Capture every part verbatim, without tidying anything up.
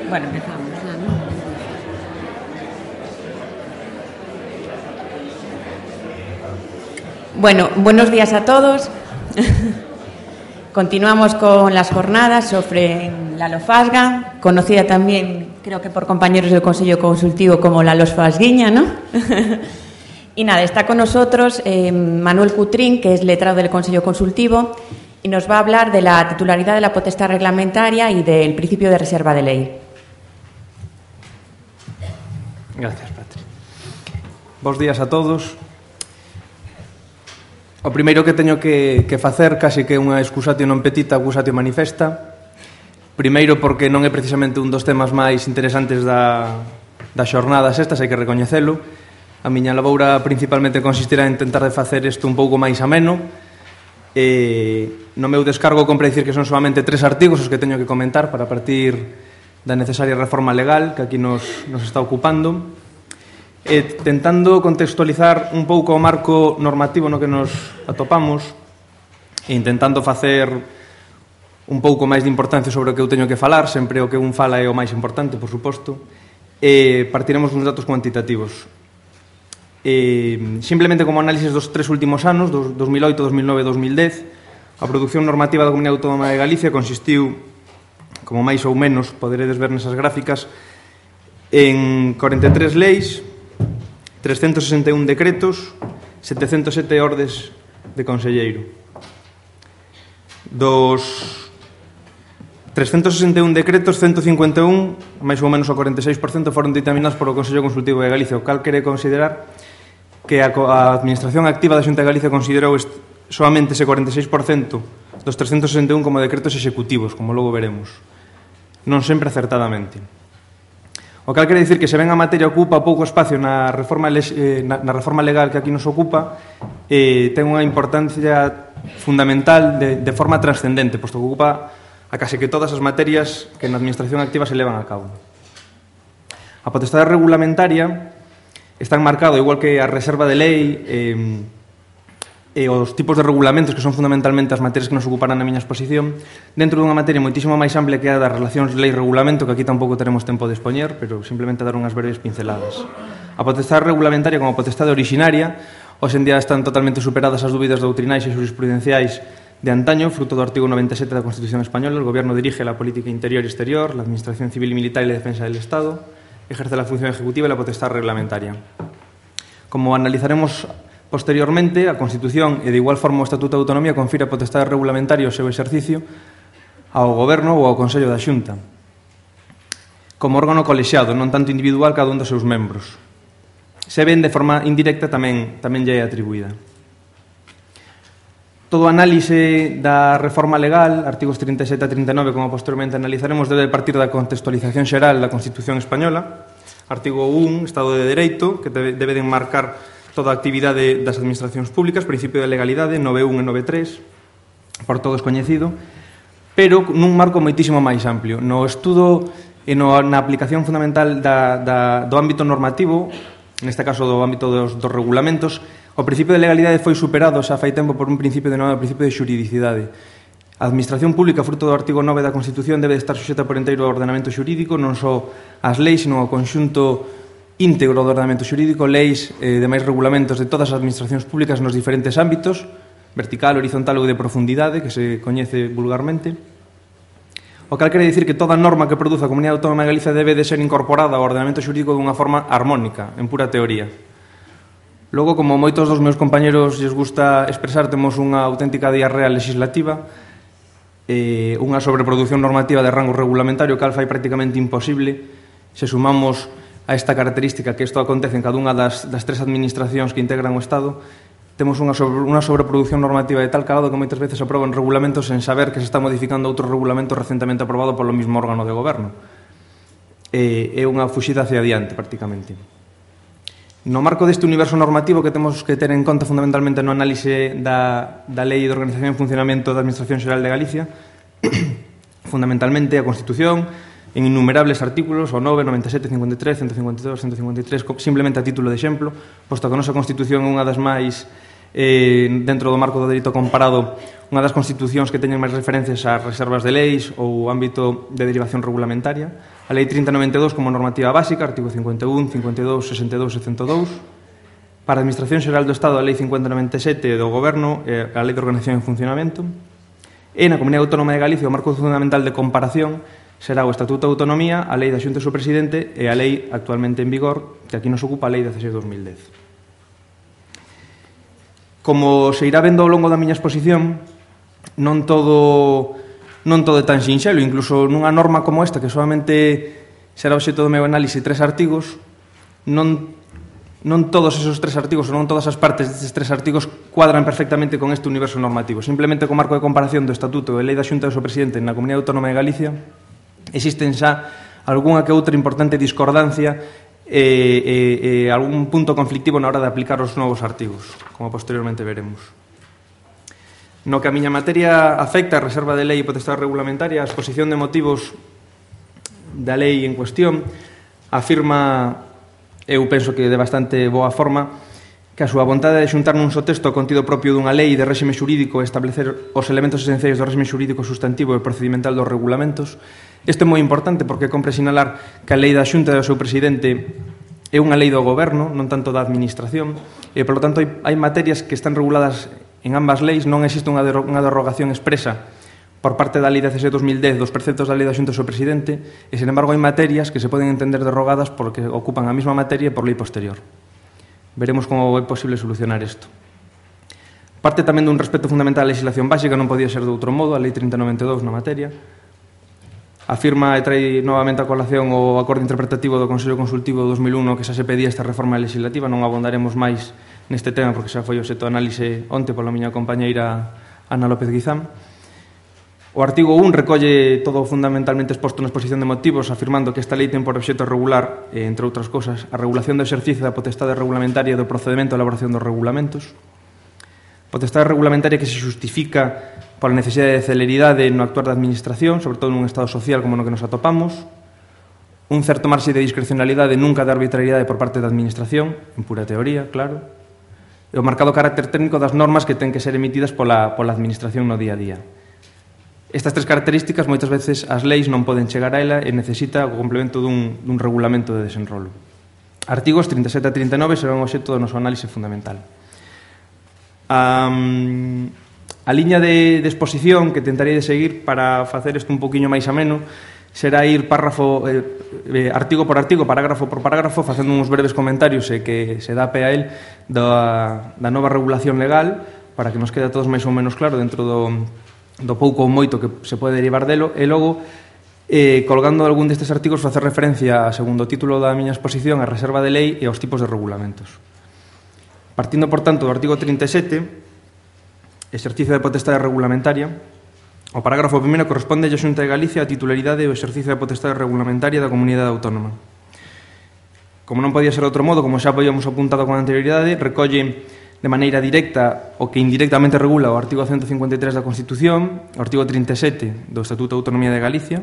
Bueno, empezamos ya, ¿no? Bueno, buenos días a todos. Continuamos con las jornadas sobre la LOFASGA, conocida también, creo que por compañeros del Consejo Consultivo, como la LOFASGuiña, ¿no? Y nada, está con nosotros eh, Manuel Cutrín, que es letrado del Consejo Consultivo, y nos va a hablar de la titularidad de la potestad reglamentaria y del principio de reserva de ley. Gracias, Patri. Bos días a todos. O primeiro que teño que, que facer, casi que unha excusatio non petita, accusatio manifesta. Primeiro porque non é precisamente un dos temas máis interesantes da, das xornadas estas, hai que recoñecelo. A miña laboura principalmente consistirá en tentar de facer isto un pouco máis ameno. E no meu descargo compre dicir que son solamente tres artigos os que teño que comentar para partir da necesaria reforma legal que aquí nos, nos está ocupando. E tentando contextualizar un pouco o marco normativo no que nos atopamos e intentando facer un pouco máis de importancia sobre o que eu teño que falar, sempre o que un fala é o máis importante, por suposto, e partiremos uns datos cuantitativos. E, simplemente como análisis dos tres últimos anos, dos dos mil oito, dos mil nove e dos mil dez, a produción normativa da Comunidade Autónoma de Galicia consistiu, como máis ou menos poderedes ver nesas gráficas, en corenta e tres leis, trescentos sesenta e un decretos, setecentos sete ordes de conselleiro. Dos trescentos sesenta e un decretos, ciento cincuenta e un, máis ou menos o corenta e seis por cento, foron dictaminados por o Consello Consultivo de Galicia, o cal quere considerar que a, a Administración Activa da Xunta de Galicia considerou est, solamente ese corenta e seis por cento dos trescentos sesenta e un como decretos executivos, como logo veremos. Non sempre acertadamente. O cal quere dicir que se ben a materia ocupa pouco espacio na reforma, eh, na, na reforma legal que aquí nos ocupa, eh, ten unha importancia fundamental de, de forma trascendente, posto que ocupa a case que todas as materias que na administración activa se levan a cabo. A potestade regulamentaria está enmarcado, igual que a reserva de lei eh, e os tipos de regulamentos, que son fundamentalmente as materias que nos ocuparán na miña exposición, dentro dunha materia moitísimo máis amplia que a das relacións lei-regulamento, que aquí tampouco teremos tempo de expoñer, pero simplemente dar unhas breves pinceladas. A potestade regulamentaria como a potestade originaria, hoxe en día están totalmente superadas as dúbidas doutrinais e jurisprudenciais de antaño, fruto do artigo noventa e sete da Constitución Española. El Gobierno dirige la política interior y exterior, la administración civil y militar y la defensa del Estado, ejerce la función ejecutiva y la potestad reglamentaria. Como analizaremos posteriormente, a Constitución e de igual forma o Estatuto de Autonomía confira a potestade regulamentaria o seu exercicio ao Goberno ou ao Consello da Xunta como órgano colexiado, non tanto individual cada un dos seus membros. Se ven de forma indirecta tamén, tamén lle é atribuída. Todo análise da reforma legal, artigos trinta e sete a trinta e nove, como posteriormente analizaremos, debe partir da contextualización xeral da Constitución Española. Artigo un, Estado de Dereito, que debe, debe de enmarcar toda a actividade das administracións públicas, principio de legalidade, nove un e nove tres, por todos coñecido, pero nun marco moitísimo máis amplio. No estudo e no, na aplicación fundamental da, da, do ámbito normativo, neste caso do ámbito dos, dos regulamentos, o principio de legalidade foi superado xa fai tempo por un principio de novo principio de xuridicidade. A administración pública, fruto do artigo nove da Constitución, debe estar suxeta por inteiro ao ordenamento xurídico, non só as leis, sino ao conxunto íntegro do ordenamento xurídico, leis e eh, demais regulamentos de todas as administracións públicas nos diferentes ámbitos, vertical, horizontal ou de profundidade, que se coñece vulgarmente. O cal quere dicir que toda norma que produza a Comunidade Autónoma de Galicia debe de ser incorporada ao ordenamento xurídico dunha forma armónica, en pura teoría. Logo, como moitos dos meus compañeros lles gusta expresar, temos unha auténtica diarrea legislativa, eh, unha sobreproducción normativa de rango regulamentario, cal fai prácticamente imposible, se sumamos a esta característica que isto acontece en cada unha das, das tres administracións que integran o Estado, temos unha, sobre, unha sobreproducción normativa de tal calado que moitas veces aproban regulamentos sen saber que se está modificando outro regulamento recentemente aprobado polo mismo órgano de goberno. E, é unha fuxida hacia adiante, prácticamente. No marco deste universo normativo que temos que ter en conta fundamentalmente no análise da, da Lei de Organización e Funcionamento da Administración Xeral de Galicia, fundamentalmente a Constitución, en innumerables artículos, o nove, noventa e sete, cincuenta e tres, ciento cincuenta e dos, ciento cincuenta e tres, simplemente a título de exemplo, posto que a nosa Constitución é unha das máis, eh, dentro do marco do dereito comparado, unha das constitucións que teñen máis referencias ás reservas de leis ou ámbito de derivación regulamentaria. A a Lei trinta noventa e dous como normativa básica, artigo cincuenta e un, cincuenta e dous, sesenta e dous e cento e dous. Para a Administración Xeral do Estado, a Lei cincuenta noventa e sete do Goberno e a Lei de Organización e Funcionamento. E na Comunidade Autónoma de Galicia, o marco fundamental de comparación será o Estatuto de Autonomía, a Lei da Xunta do seu Presidente e a Lei actualmente en vigor, que aquí nos ocupa a Lei dezasseis barra dos mil dez. Como se irá vendo ao longo da miña exposición, non todo... non todo é tan sinxelo, incluso nunha norma como esta, que solamente será obxecto do meu análise tres artigos, non, non todos esos tres artigos ou non todas as partes destes tres artigos cuadran perfectamente con este universo normativo. Simplemente co marco de comparación do Estatuto e Lei da Xunta do seu Presidente na Comunidade Autónoma de Galicia existen xa algunha que outra importante discordancia e, e, e algún punto conflictivo na hora de aplicar os novos artigos, como posteriormente veremos. No que a miña materia afecta a reserva de lei e potestade regulamentaria, a exposición de motivos da lei en cuestión afirma, eu penso que de bastante boa forma, que a súa vontade de xuntar nun só texto o contido propio dunha lei de réxime xurídico e establecer os elementos esenciais do réxime xurídico sustantivo e procedimental dos regulamentos. Isto é moi importante porque compre sinalar que a lei da Xunta e do seu presidente é unha lei do goberno, non tanto da administración, e, polo tanto, hai, hai materias que están reguladas en ambas leis, non existe unha, unha derrogación expresa por parte da Lei dezasseis barra dos mil dez dos preceptos da Lei da Xunta do seu Presidente e, sin embargo, hai materias que se poden entender derrogadas porque ocupan a mesma materia e por lei posterior. Veremos como é posible solucionar isto. Parte tamén dun respeto fundamental á legislación básica, non podía ser de outro modo, a Lei trinta noventa e dous na materia. Afirma e trae novamente a colación o acordo interpretativo do Consello Consultivo de dos mil un no que xa se pedía esta reforma legislativa, non abondaremos máis neste tema porque xa foi o xeto de análise onte pola miña compañeira Ana López Guizán. O artigo un recolle todo fundamentalmente exposto na exposición de motivos, afirmando que esta lei ten por obxecto regular, entre outras cosas, a regulación do exercicio da potestade regulamentaria e do procedemento de elaboración dos regulamentos. Potestade regulamentaria que se justifica pola necesidade de celeridade no actuar da administración, sobre todo nun estado social como no que nos atopamos. Un certo marxe de discrecionalidade, nunca de arbitrariedade por parte da administración, en pura teoría, claro. E o marcado carácter técnico das normas que ten que ser emitidas pola, pola administración no día a día. Estas tres características moitas veces as leis non poden chegar a ela e necesita o complemento dun, dun regulamento de desenrolo. Artigos trinta e sete a trinta e nove serán o obxecto do noso análise fundamental. Um, a liña de, de exposición que tentarei de seguir para facer isto un poquinho máis ameno será ir párrafo, eh, eh, artigo por artigo, parágrafo por parágrafo, facendo uns breves comentarios e que se dá pé a el da, da nova regulación legal para que nos quede a todos máis ou menos claro dentro do do pouco ou moito que se pode derivar delo, e logo, eh, colgando algún destes artigos, facer referencia a segundo título da miña exposición, a reserva de lei e aos tipos de regulamentos. Partindo, por tanto, do artigo trinta e sete, exercicio de potestade regulamentaria, o parágrafo primeiro corresponde a Xunta de Galicia a titularidade e o exercicio de potestade regulamentaria da comunidade autónoma. Como non podía ser de outro modo, como xa habíamos apuntado con anterioridade, recolle de maneira directa o que indirectamente regula o artigo ciento cincuenta e tres da Constitución, o artigo trinta e sete do Estatuto de Autonomía de Galicia,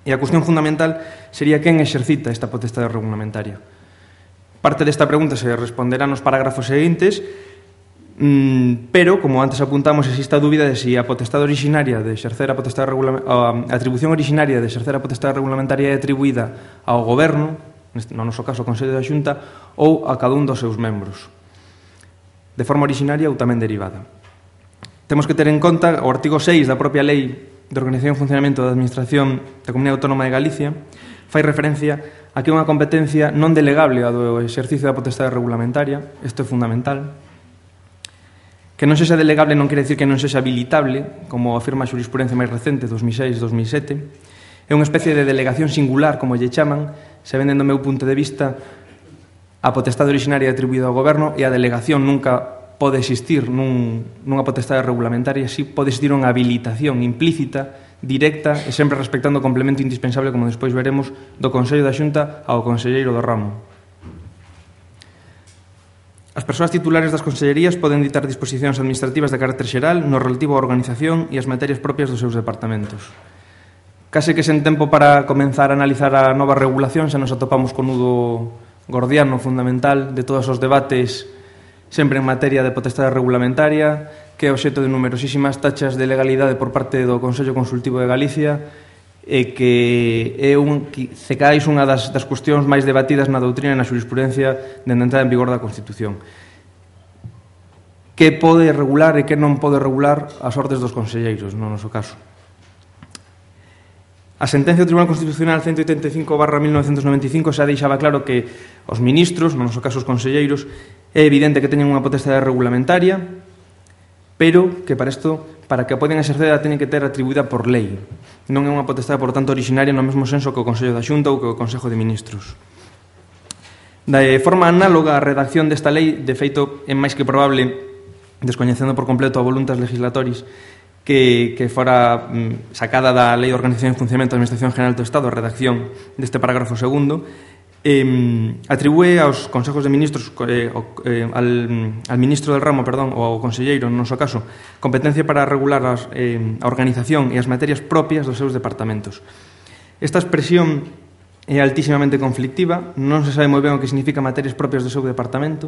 e a cuestión fundamental sería quen exercita esta potestade regulamentaria. Parte desta pregunta se responderá nos parágrafos seguintes, pero, como antes apuntamos, existe a dúbida de se a potestade originaria de exercer a potestade regulamentaria, a atribución originaria de exercer a potestade regulamentaria é atribuída ao Goberno, no noso caso ao Consello da Xunta, ou a cada un dos seus membros, de forma originaria ou tamén derivada. Temos que ter en conta o artigo seis da propia Lei de Organización e Funcionamento da Administración da Comunidade Autónoma de Galicia, fai referencia a que é unha competencia non delegable a do exercicio da potestade regulamentaria, isto é fundamental. Que non sexa delegable non quere dicir que non sexa habilitable, como afirma a xurisprudencia máis recente, dos mil seis dos mil sete. É unha especie de delegación singular, como lle chaman, se venden do meu punto de vista a potestade originaria atribuída ao Goberno e a delegación nunca pode existir nun, nunha potestade regulamentaria, si pode existir unha habilitación implícita, directa e sempre respectando o complemento indispensable, como despois veremos, do Consello da Xunta ao Conselleiro do Ramo. As persoas titulares das consellerías poden ditar disposicións administrativas de carácter xeral no relativo á organización e as materias propias dos seus departamentos. Case que sen tempo para comenzar a analizar a nova regulación xa nos atopamos con nudo gordiano fundamental de todos os debates sempre en materia de potestade regulamentaria, que é obxecto de numerosísimas tachas de legalidade por parte do Consello Consultivo de Galicia e que é un, que se caes unha das, das cuestións máis debatidas na doutrina e na xurisprudencia dende a entrada en vigor da Constitución. Que pode regular e que non pode regular as ordes dos conselleiros, no noso caso. A sentencia do Tribunal Constitucional ciento oitenta e cinco barra mil novecentos noventa e cinco xa deixaba claro que os ministros, no noso caso os conselleiros, é evidente que teñen unha potestade regulamentaria, pero que para isto, para que a poden exercer, a teñen que ter atribuída por lei. Non é unha potestade, por tanto, originaria no mesmo senso que o Consello da Xunta ou que o Consejo de Ministros. De forma análoga, a redacción desta lei, de feito, é máis que probable, descoñecendo por completo a voluntas legislatoris, que, que fora mm, sacada da Lei de Organización e Funcionamento da Administración General do Estado, a redacción deste parágrafo segundo, eh, atribúe aos consejos de ministros, eh, eh, al, al ministro del ramo, perdón, ou ao conselleiro, no noso caso, competencia para regular as, eh, a organización e as materias propias dos seus departamentos. Esta expresión é altísimamente conflictiva, non se sabe moi ben o que significa materias propias do seu departamento.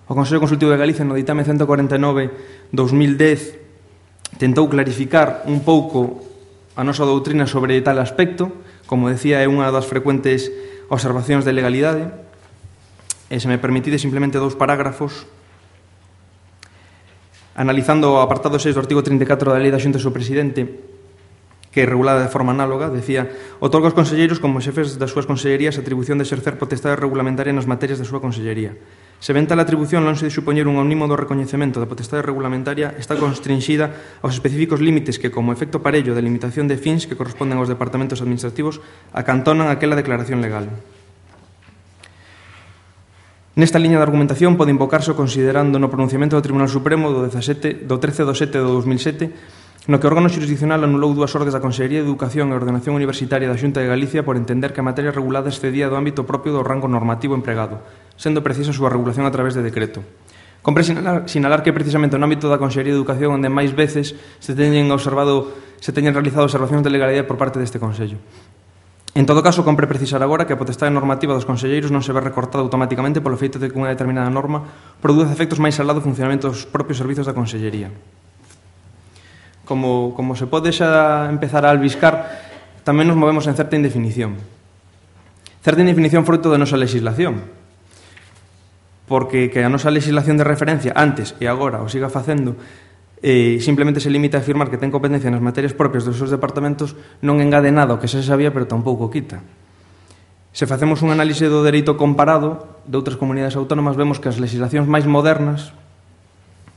O Consello Consultivo de Galicia, no ditame ciento cuarenta e nove barra dos mil dez, tentou clarificar un pouco a nosa doutrina sobre tal aspecto. Como decía, é unha das frecuentes observacións de legalidade. E se me permitide simplemente dous parágrafos. Analizando o apartado seis do artigo trinta e catro da Lei da Xunta do seu presidente, que é regulada de forma análoga, decía: outorga aos conselleiros como xefes das súas consellerías a atribución de exercer potestade regulamentaria nas materias da súa consellería. Se ven tal atribución, lonxe de supoñer un omnimo do recoñecemento da potestade regulamentaria, está constrinxida aos específicos límites que, como efecto parello de limitación de fins que corresponden aos departamentos administrativos, acantonan aquela declaración legal. Nesta liña de argumentación pode invocarse o considerando no pronunciamento do Tribunal Supremo do, dezasete, do trece do sete do dos mil sete, no que o órgano xurisdiccional anulou dúas ordes da Consellería de Educación e Ordenación Universitaria da Xunta de Galicia por entender que a materia regulada excedía do ámbito propio do rango normativo empregado, sendo precisa a súa regulación a través de decreto. Compre sinalar, sinalar que precisamente no ámbito da Consellería de Educación onde máis veces se teñen observado, se teñen realizado observacións de legalidade por parte deste Consello. En todo caso, compre precisar agora que a potestade normativa dos conselleiros non se ve recortada automáticamente polo feito de que unha determinada norma produce efectos máis alá do funcionamento dos propios servizos da Consellería. Como, como se pode xa empezar a albiscar, tamén nos movemos en certa indefinición. Certa indefinición fruto da nosa legislación, porque que a nosa legislación de referencia antes e agora o siga facendo, eh, simplemente se limita a afirmar que ten competencia nas materias propias dos seus departamentos, non engade nada o que xa se sabía, pero tampouco quita. Se facemos un análise do dereito comparado de outras comunidades autónomas, vemos que as legislacións máis modernas,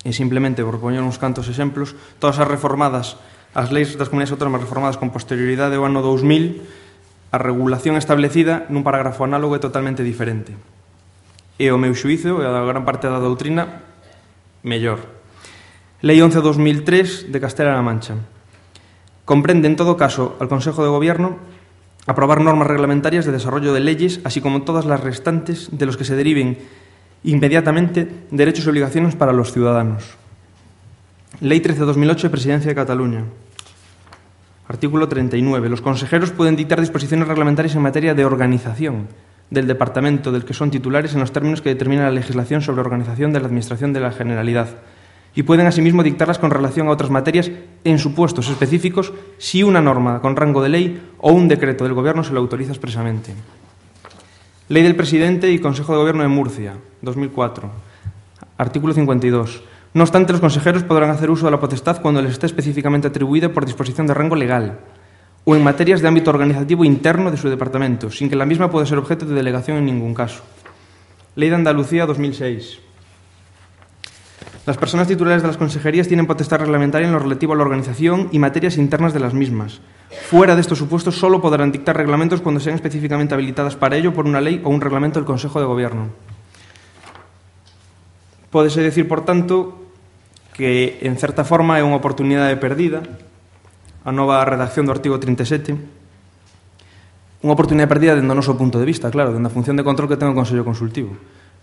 e simplemente por poñer uns cantos exemplos, todas as reformadas, as leis das comunidades autónomas reformadas con posterioridade ao ano dous mil, a regulación establecida nun parágrafo análogo é totalmente diferente. E o meu xuízo, e a gran parte da doutrina, mellor. Lei once barra dos mil tres de Castela-La Mancha. Comprende, en todo caso, al Consejo de Gobierno aprobar normas reglamentarias de desarrollo de leyes, así como todas las restantes de los que se deriven inmediatamente derechos y obligaciones para los ciudadanos. Ley trece barra dos mil ocho de Presidencia de Cataluña. Artículo treinta y nueve. Los consejeros pueden dictar disposiciones reglamentarias en materia de organización del departamento del que son titulares en los términos que determina la legislación sobre organización de la Administración de la Generalidad, y pueden asimismo dictarlas con relación a otras materias en supuestos específicos si una norma con rango de ley o un decreto del Gobierno se lo autoriza expresamente. Ley del Presidente y Consejo de Gobierno de Murcia, dos mil cuatro. Artículo cincuenta y dos. No obstante, los consejeros podrán hacer uso de la potestad cuando les esté específicamente atribuida por disposición de rango legal o en materias de ámbito organizativo interno de su departamento, sin que la misma pueda ser objeto de delegación en ningún caso. Ley de Andalucía, dos mil seis. Las personas titulares de las consejerías tienen potestad reglamentaria en lo relativo a la organización y materias internas de las mismas. Fuera de estos supuestos, solo podrán dictar reglamentos cuando sean específicamente habilitadas para ello por una ley o un reglamento del Consejo de Gobierno. Pódese decir, por tanto, que, en certa forma, é unha oportunidade perdida a nova redacción do artigo trinta e sete. Unha oportunidade perdida dende o noso punto de vista, claro, dende a función de control que ten o Consello Consultivo.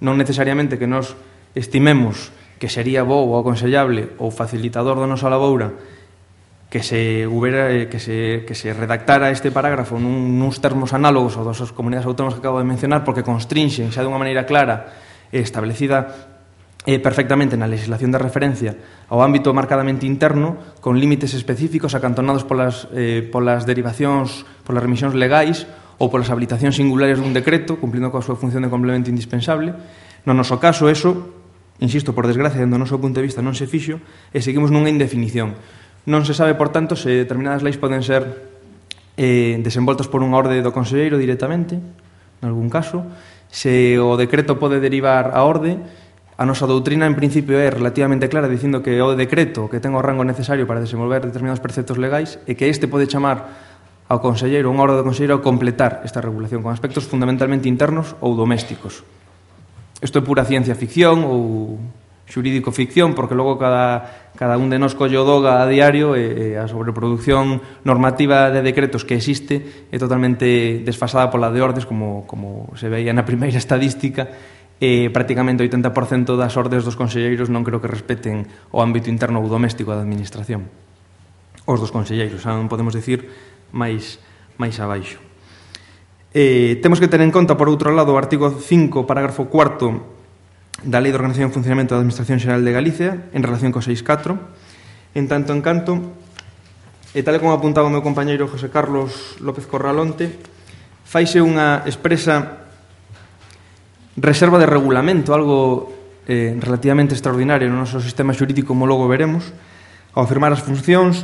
Non necesariamente que nos estimemos que sería bo ou aconsellable ou facilitador da nosa laboura que se, hubiera, que se, que se redactara este parágrafo nun, nuns termos análogos ao das comunidades autónomas que acabo de mencionar, porque constrinxen xa de unha maneira clara e establecida eh, perfectamente na legislación de referencia ao ámbito marcadamente interno, con límites específicos acantonados polas, eh, polas derivacións, polas remisións legais ou polas habilitacións singulares dun decreto, cumplindo coa súa función de complemento indispensable. No noso caso, eso, insisto, por desgracia, do noso punto de vista non se fixo, e seguimos nunha indefinición. Non se sabe, por tanto, se determinadas leis poden ser eh, desenvoltas por unha orde do conselleiro directamente, en algún caso, se o decreto pode derivar a orde. A nosa doutrina, en principio, é relativamente clara, dicindo que o decreto que ten o rango necesario para desenvolver determinados preceptos legais e que este pode chamar ao conselleiro, unha orde do conselleiro, a completar esta regulación con aspectos fundamentalmente internos ou domésticos. Isto é pura ciencia ficción ou xurídico-ficción, porque logo cada, cada un de nós colle o doga a diario e, e a sobreproducción normativa de decretos que existe é totalmente desfasada pola de ordes, como, como se veía na primeira estadística. E prácticamente o oitenta por cento das ordes dos conselleiros non creo que respeten o ámbito interno ou doméstico da administración. Os dos conselleiros, non podemos dicir máis, máis abaixo. Eh, temos que ter en conta, por outro lado, o artigo cinco, parágrafo cuarto da Lei de Organización e Funcionamento da Administración Xeral de Galicia en relación co seis catro. En tanto en canto, e tal como apuntaba o meu compañeiro José Carlos López Corralonte, faise unha expresa reserva de regulamento, algo eh, relativamente extraordinario no noso sistema xurídico, como logo veremos, ao afirmar as funcións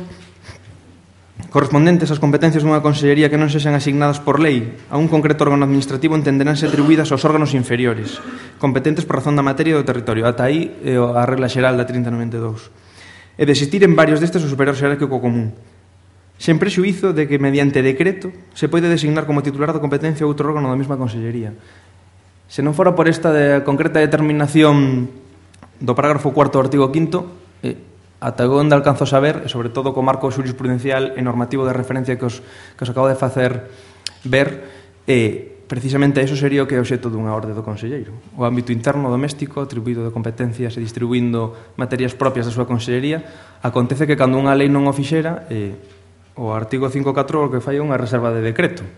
correspondentes ás competencias dunha consellería que non sexan asignadas por lei a un concreto órgano administrativo entenderánse atribuídas aos órganos inferiores, competentes por razón da materia do territorio. Ata aí eh, a regla xeral da trinta noventa e dous. E de existir en varios destes o superior xerárquico común, sen prexuízo de que mediante decreto se pode designar como titular da competencia outro órgano da mesma consellería. Se non fora por esta de concreta determinación do parágrafo cuarto do artigo quinto, eh, ata onde alcanzo a saber, e sobre todo co marco jurisprudencial e normativo de referencia que os, que os acabo de facer ver, eh, precisamente eso sería o que é o obxecto dunha orde do conselleiro. O ámbito interno doméstico, atribuído de competencias e distribuindo materias propias da súa consellería, acontece que cando unha lei non o fixera, eh, o artigo cinco catro o que fai é unha reserva de decreto.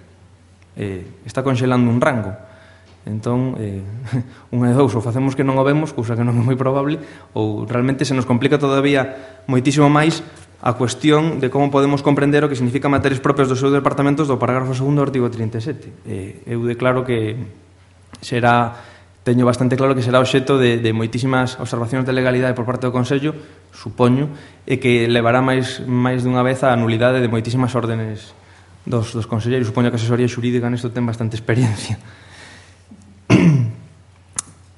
Eh, está conxelando un rango. Entón, eh, unha de dous, ou facemos que non o vemos, cousa que non é moi probable, ou realmente se nos complica todavía moitísimo máis a cuestión de como podemos comprender o que significa materias propias dos seus departamentos do parágrafo segundo do artigo trinta e sete. Eh, eu declaro que será, teño bastante claro que será obxecto de, de moitísimas observacións de legalidade por parte do Consello, supoño, e que levará máis, máis dunha vez a nulidade de moitísimas órdenes dos, dos conselleiros. Supoño que a asesoría xurídica nesto ten bastante experiencia.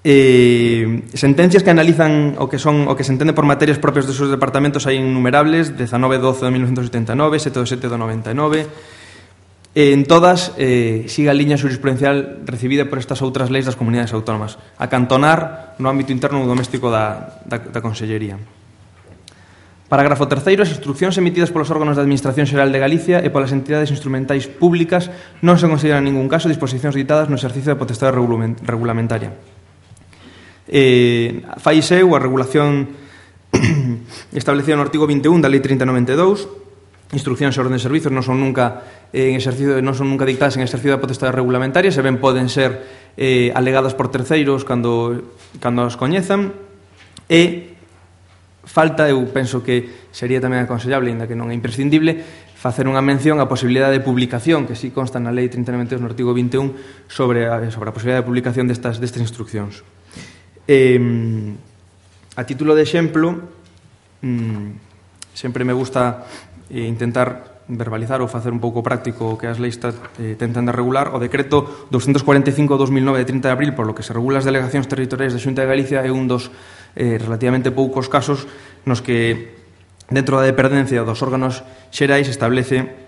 Eh, sentencias que analizan o que son o que se entende por materias propias dos seus departamentos hai innumerables, dezanove doce de mil novecentos setenta e nove, sete do sete do noventa e nove. Eh, en todas eh, siga a liña jurisprudencial recibida por estas outras leis das comunidades autónomas, a cantonar no ámbito interno ou doméstico da, da, da Consellería. Parágrafo terceiro. As instruccións emitidas polos órganos da Administración Xeral de Galicia e polas entidades instrumentais públicas non se consideran en ningún caso disposicións ditadas no exercicio da potestade regulamentaria. Eh, faise a regulación establecida no artigo vinte e un da Lei trinta noventa e dous. Instruccións e órdenes de servizos non son nunca en exercicio, non son nunca dictadas en exercicio da potestade regulamentaria, se ben poden ser eh, alegadas por terceiros cando, cando as coñezan. E falta, eu penso que sería tamén aconsellable, ainda que non é imprescindible, facer unha mención á posibilidade de publicación, que si consta na Lei trinta noventa e dous no artigo vinte e un, sobre a, sobre a posibilidade de publicación destas, destas instruccións. Eh, a título de exemplo, mm, sempre me gusta eh, intentar verbalizar ou facer un pouco práctico o que as leis eh, tentan de regular. O decreto doscientos cuarenta e cinco barra dos mil nove de trinta de abril, por lo que se regula as delegacións territoriais da Xunta de Galicia, é un dos eh, relativamente poucos casos nos que dentro da dependencia dos órganos xerais establece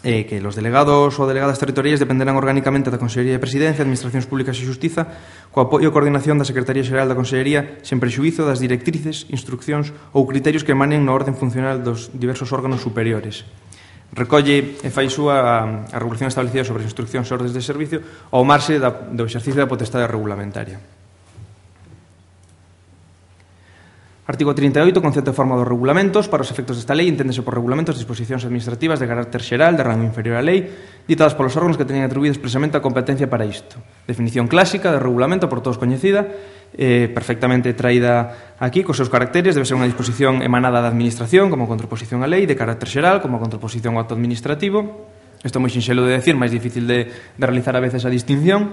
eh, que los delegados ou delegadas territoriais dependerán orgánicamente da Consellería de Presidencia, Administracións Públicas e Xustiza, co apoio e coordinación da Secretaría Xeral da Consellería, sen prexuízo das directrices, instruccións ou criterios que emanen na orden funcional dos diversos órganos superiores. Recolle e fai súa a regulación establecida sobre as instruccións e ordes de servicio ao marxe da, do exercicio da potestade regulamentaria. Artigo trinta e oito. Concepto e forma dos regulamentos. Para os efectos desta lei, enténdese por regulamentos disposicións administrativas de carácter xeral, de rango inferior á lei, ditadas polos órganos que teñen atribuído expresamente a competencia para isto. Definición clásica de regulamento por todos coñecida, eh, perfectamente traída aquí, cos seus caracteres. Debe ser unha disposición emanada da Administración como contraposición á lei, de carácter xeral como contraposición ao acto administrativo. Isto é moi sinxelo de decir, máis difícil de, de realizar a veces a distinción.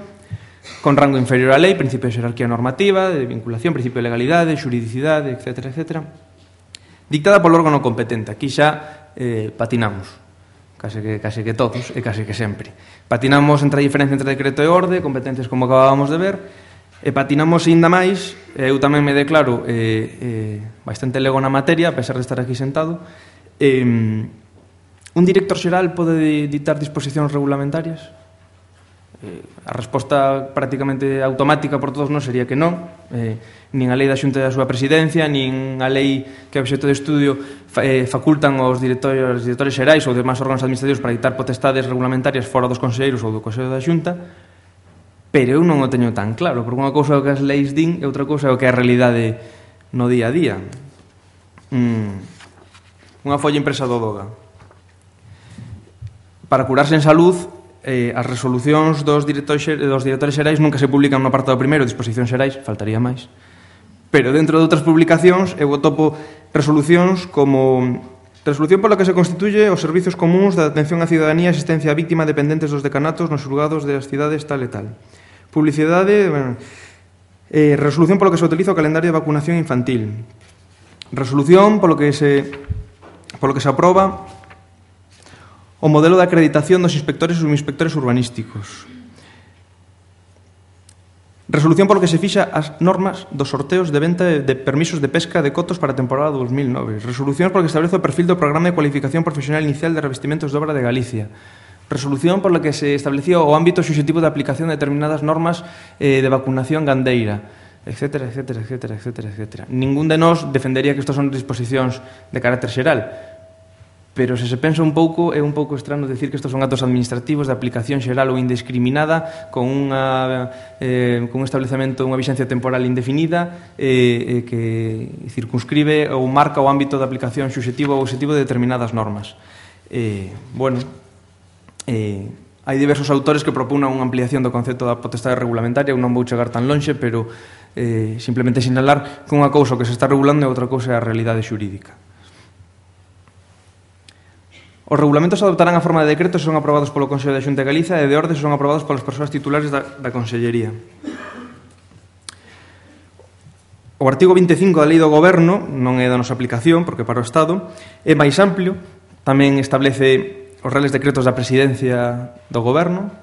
Con rango inferior á lei, principio de xerarquía normativa, de vinculación, principio de legalidade, xuridicidade, etcétera, etcétera. Dictada polo órgano competente. Aquí xa eh, patinamos, case que, case que todos e case que sempre. Patinamos entre a diferencia entre decreto e orde, competencias como acabábamos de ver, e patinamos ainda máis, eu tamén me declaro eh, eh, bastante lego na materia, a pesar de estar aquí sentado. Eh, un director xeral pode ditar disposicións regulamentarias? Eh, a resposta prácticamente automática por todos non sería que non. Eh, nin a lei da Xunta da súa presidencia, nin a lei que é obxecto de estudio fa, eh, facultan aos directores, aos directores xerais ou demais órganos administrativos para dictar potestades regulamentarias fora dos conselleiros ou do Consello da Xunta, pero eu non o teño tan claro, porque unha cousa é o que as leis din e outra cousa é o que é a realidade no día a día. Mm. Unha folla impresa do Doga. Para curarse en salud, Eh, as resolucións dos directores, dos directores xerais nunca se publican no apartado primeiro, disposicións xerais, faltaría máis. Pero dentro de outras publicacións eu topo resolucións como resolución pola que se constituye os servizos comuns da atención á cidadanía e asistencia á víctima dependentes dos decanatos nos xulgados das cidades tal e tal. Publicidade, bueno, eh, resolución polo que se utiliza o calendario de vacunación infantil. Resolución polo que se polo que se aproba o modelo de acreditación dos inspectores e subinspectores urbanísticos. Resolución polo que se fixa as normas dos sorteos de venta de permisos de pesca de cotos para a temporada dos mil nove. Resolución polo que establece o perfil do Programa de Cualificación Profesional Inicial de Revestimentos de Obra de Galicia. Resolución polo que se establecía o ámbito subxectivo de aplicación de determinadas normas eh, de vacunación gandeira, etcétera, etcétera, etcétera, etcétera, etcétera. Ningún de nós defendería que estas son disposicións de carácter xeral, pero se se pensa un pouco, é un pouco estrano decir que estos son actos administrativos de aplicación xeral ou indiscriminada con, unha, eh, con un establecemento, unha vixencia temporal indefinida eh, eh, que circunscribe ou marca o ámbito de aplicación subxectivo ou obxectivo de determinadas normas. Eh, bueno, eh, hai diversos autores que proponan unha ampliación do concepto da potestade regulamentaria, eu non vou chegar tan lonxe, pero eh, simplemente sinalar que unha cousa que se está regulando e outra cousa é a realidade xurídica. Os regulamentos adoptarán a forma de decreto se son aprobados polo Consello da Xunta de Galicia e de orde se son aprobados polas persoas titulares da, da Consellería. O artigo vinte e cinco da Lei do Goberno non é da nosa aplicación, porque para o Estado é máis amplio, tamén establece os reales decretos da Presidencia do Goberno.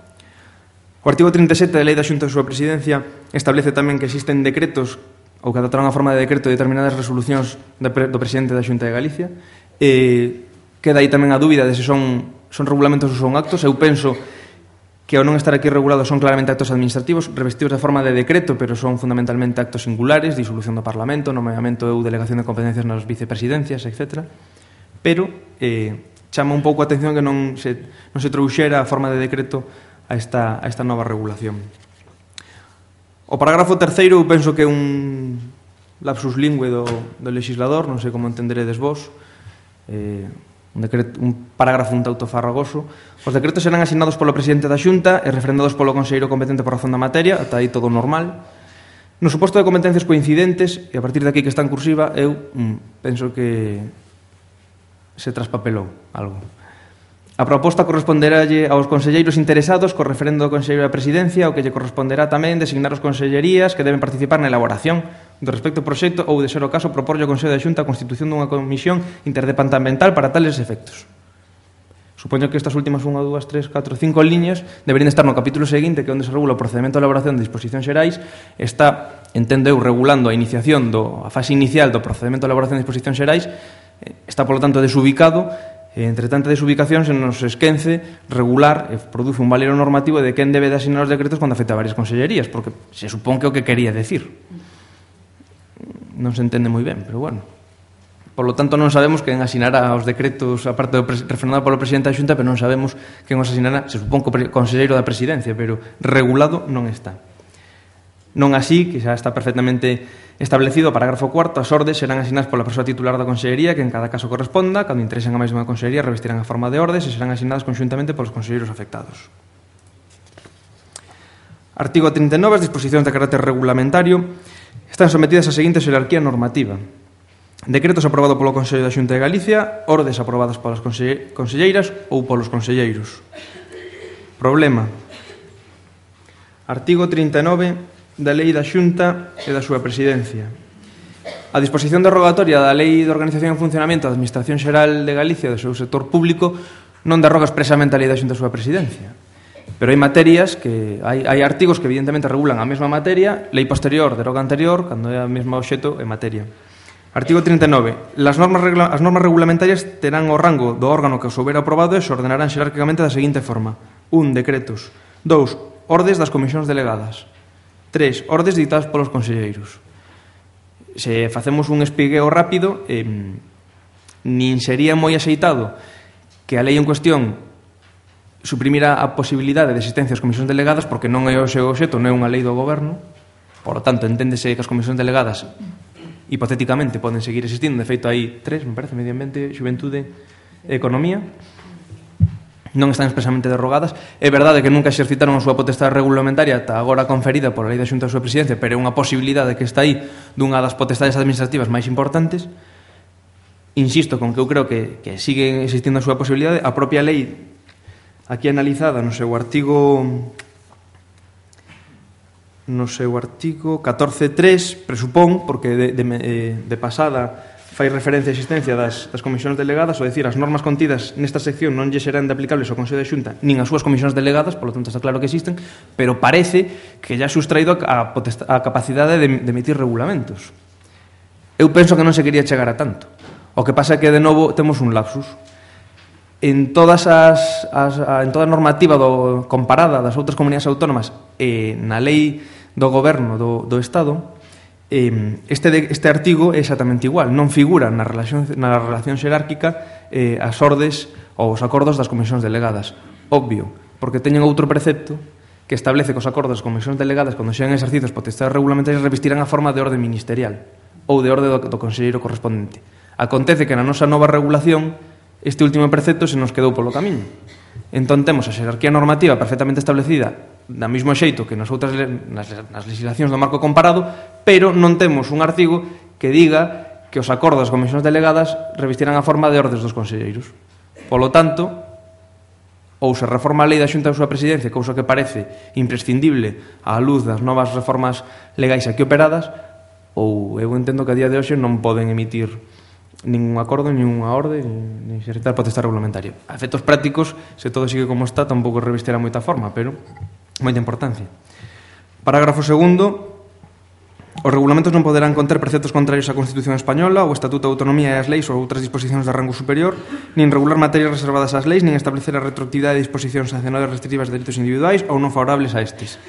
O artigo trinta e sete da Lei da Xunta da súa Presidencia establece tamén que existen decretos ou que adoptarán a forma de decreto de determinadas resolucións do Presidente da Xunta de Galicia. E queda aí tamén a dúbida de se son, son regulamentos ou son actos. Eu penso que ao non estar aquí regulados son claramente actos administrativos revestidos de forma de decreto, pero son fundamentalmente actos singulares, disolución do Parlamento, nomeamento ou delegación de competencias nas vicepresidencias, etcétera. Pero eh, chama un pouco a atención que non se, non se trouxera a forma de decreto a esta, a esta nova regulación. O parágrafo terceiro eu penso que é un lapsus lingüe do, do legislador, non sei como entenderedes vos. Eh, Un, decreto, un parágrafo un tanto farragoso. Os decretos serán asignados polo presidente da Xunta e refrendados polo conselleiro competente por razón da materia, ata aí todo normal. No suposto de competencias coincidentes, e a partir de aquí que está en cursiva, eu mm, penso que se traspapelou algo. A proposta corresponderálle aos conselleiros interesados co referendo do Conselleiro da Presidencia, o que lle corresponderá tamén designar os consellerías que deben participar na elaboración do respecto ao proxecto ou, de ser o caso, proporlle ao Consello da Xunta a constitución dunha comisión interdepartamental para tales efectos. Supoño que estas últimas unha, dúas, tres, catro, cinco liñas deberían estar no capítulo seguinte, que é onde se regula o procedimento de elaboración de disposicións xerais. Está, entendo eu, regulando a iniciación do, a fase inicial do procedimento de elaboración de disposicións xerais. Está, polo tanto, desubicado. Entre tanta desubicación se nos esquence regular e produce un valero normativo de quen debe de asignar os decretos cando afecta a varias consellerías, porque se supón que é o que quería decir. Non se entende moi ben, pero bueno. Por lo tanto, non sabemos quen asinará os decretos, a parte do refrendado polo presidente da Xunta, pero non sabemos quen os asinará. Se supón que o conselleiro da Presidencia, pero regulado non está. Non así, que xa está perfectamente establecido o parágrafo cuarto, as ordes serán asignadas pola persoa titular da consellería que en cada caso corresponda, cando interesen a máis dunha consellería revestirán a forma de ordes e serán asignadas conxuntamente polos conselleiros afectados. Artigo trinta e nove, as disposicións de carácter regulamentario. están sometidas á seguinte xerarquía normativa: decretos aprobados polo Consello da Xunta de Galicia, ordes aprobadas polas conselleiras ou polos conselleiros. Problema: artigo trinta e nove da Lei da Xunta e da súa presidencia. A disposición derogatoria da Lei de Organización e Funcionamento da Administración Xeral de Galicia do seu sector público non derroga expresamente a Lei da Xunta e a súa presidencia. Pero hai materias que hai, hai artigos que evidentemente regulan a mesma materia, lei posterior deroga anterior, cando é a mesma obxecto e materia. Artigo trinta e nove. Las normas regla, as normas regulamentarias terán o rango do órgano que os houbera aprobado e se ordenarán xerárquicamente da seguinte forma: un Decretos. dous Ordes das comisións delegadas. tres Ordes dictadas polos conselleiros. Se facemos un espigueo rápido, eh, nin sería moi axeitado que a lei en cuestión suprimira a posibilidade de existencia das comisións delegadas, porque non é o seu obxecto, non é unha lei do goberno. Por lo tanto, enténdese que as comisións delegadas hipotéticamente poden seguir existindo. De feito, hai tres, me parece: Medio Ambiente, Xuventude e Economía. Non están expresamente derrogadas. É verdade que nunca exercitaron a súa potestade regulamentaria ata agora conferida pola Lei da Xunta da súa presidencia, pero é unha posibilidade que está aí dunha das potestades administrativas máis importantes. Insisto con que eu creo que, que sigue existindo a súa posibilidade. A propia lei aquí analizada no seu artigo no seu artigo catorce punto tres presupón, porque de, de, de pasada fai referencia á existencia das, das comisións delegadas, ou decir, as normas contidas nesta sección non lle serán de aplicables ao Consello de Xunta nin as súas comisións delegadas, polo tanto está claro que existen, pero parece que ya sustraído a, a capacidade de, de emitir regulamentos. Eu penso que non se quería chegar a tanto. O que pasa é que, de novo, temos un lapsus. En todas as, as en toda a normativa do, comparada das outras comunidades autónomas e na lei do goberno do, do Estado, Este, este artigo é exactamente igual. Non figura na relación, na relación xerárquica eh, as ordes ou os acordos das comisións delegadas. Obvio, porque teñen outro precepto que establece que os acordos das comisións delegadas, cando xean exercidos potestades regulamentarias, revestirán a forma de orde ministerial ou de orde do, do conselleiro correspondente. Acontece que na nosa nova regulación este último precepto se nos quedou polo camiño. Entón temos a xerarquía normativa perfectamente establecida da mesmo xeito que nas outras nas, nas legislacións do marco comparado, pero non temos un artigo que diga que os acordos das comisións delegadas revestirán a forma de ordes dos conselleiros. Polo tanto, ou se reforma a lei da Xunta da súa presidencia, cousa que parece imprescindible á luz das novas reformas legais aquí operadas, ou eu entendo que a día de hoxe non poden emitir ningún acordo, ninguna orde, ni exercitar potestade regulamentaria. A efectos prácticos, se todo sigue como está, tampouco revestirá moita forma, pero moita importancia. Parágrafo segundo. Os regulamentos non poderán conter preceptos contrarios á Constitución Española, o Estatuto de Autonomía e as leis ou outras disposicións de rango superior, nin regular materias reservadas ás leis, nin establecer a retroactividade de disposicións sancionadas restrictivas de dereitos individuais ou non favorables a estes.